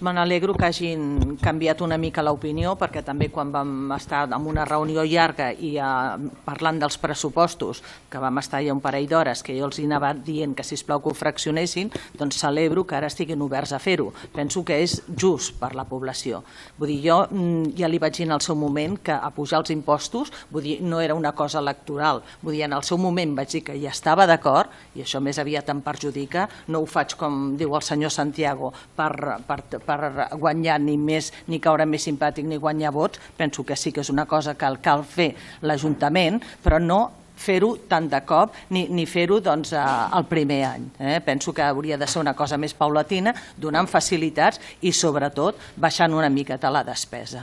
Me n'alegro que hagin canviat una mica l'opinió, perquè també quan vam estar en una reunió llarga i parlant dels pressupostos, que vam estar ja un parell d'hores, que jo els anava dient que sisplau que ho fraccionessin, doncs celebro que ara estiguin oberts a fer-ho. Penso que és just per la població. Vull dir, jo ja li vaig dir en el seu moment que a pujar els impostos, vull dir, no era una cosa electoral. Vull dir, en el seu moment vaig dir que hi estava d'acord, i això més aviat em perjudica, no ho faig com diu el senyor Santiago per guanyar ni més, ni caure més simpàtic ni guanyar vots. Penso que sí que és una cosa que cal fer l'Ajuntament, però no fer-ho tant de cop ni fer-ho el primer any. Penso que hauria de ser una cosa més paulatina, donant facilitats i sobretot baixant una miqueta la despesa.